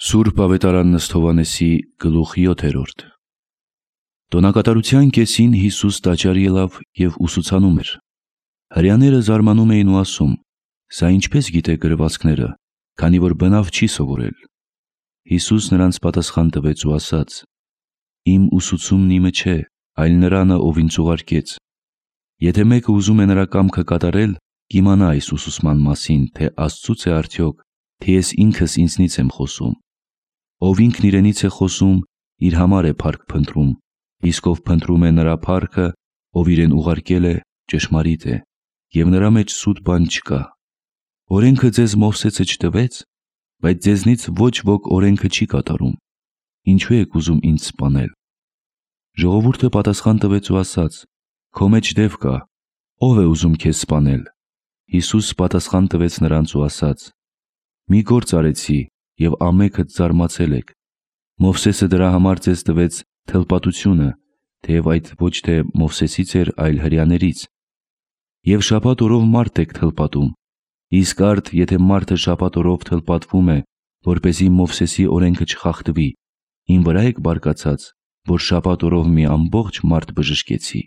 Սուրբ Ավետարան Ըստ Հովհաննեսի գլուխ 7-րդ Տոնակատարության կեսին Հիսուս տաճար ելավ և ուսուցանում էր։ Հրեաները զարմանում էին ու ասում. «Սա ինչպես գիտե գրվածքները, քանի որ բնավ չի սովորել»։ Հիսուս նրանց պատասխան տվեց ու ասաց. «Իմ ուսուցումն իմը չէ, այլ Նրանը, ով ինձ ուղարկեց։ Եթե մեկը ուզում է նրա կամքը կատարել, կիմանա այս ուսուցման մասին, թե Աստծուց է արդյոք, թե ես ինքս ինձնից եմ խոսում։ Ով ինքն իրենից է խոսում, իր համար է փառք փնտրում, իսկ ով փնտրում է նրա փառքը, ով իրեն ուղարկել է, ճշմարիտ է, և նրա մեջ սուտ բան չկա։ Օրենքը ձեզ Մովսեսը չտվեց, բայց ձեզնից ոչ ոք օրենքը չի կատարում։ Ինչու եք ուզում ինձ սպանել»։ Ժողովուրդը պատասխան տվեց ու ասաց. «Քո մեջ դև կա, ո՞վ է ուզում քեզ սպանել»։ Հիսուս պատասխան տվեց նրանց ու ասաց. «Մի գործ արեցի, և ամենքդ զարմացել եք։ Մովսեսը դրա համար ձեզ տվեց թլպատությունը, թեև այդ ոչ թե Մովսեսից էր, այլ հրեաներից։ Եվ շաբաթ օրով մարդ եք թլպատում, իսկ արդ եթե մարդը շաբաթ օրով թլպատվում է, որպեսզի Մովսեսի օրենքը չխախտվի, իմ վրա եք բարկացած, որ շաբաթ օրով մի ամբողջ մարդ բժշկեցի»։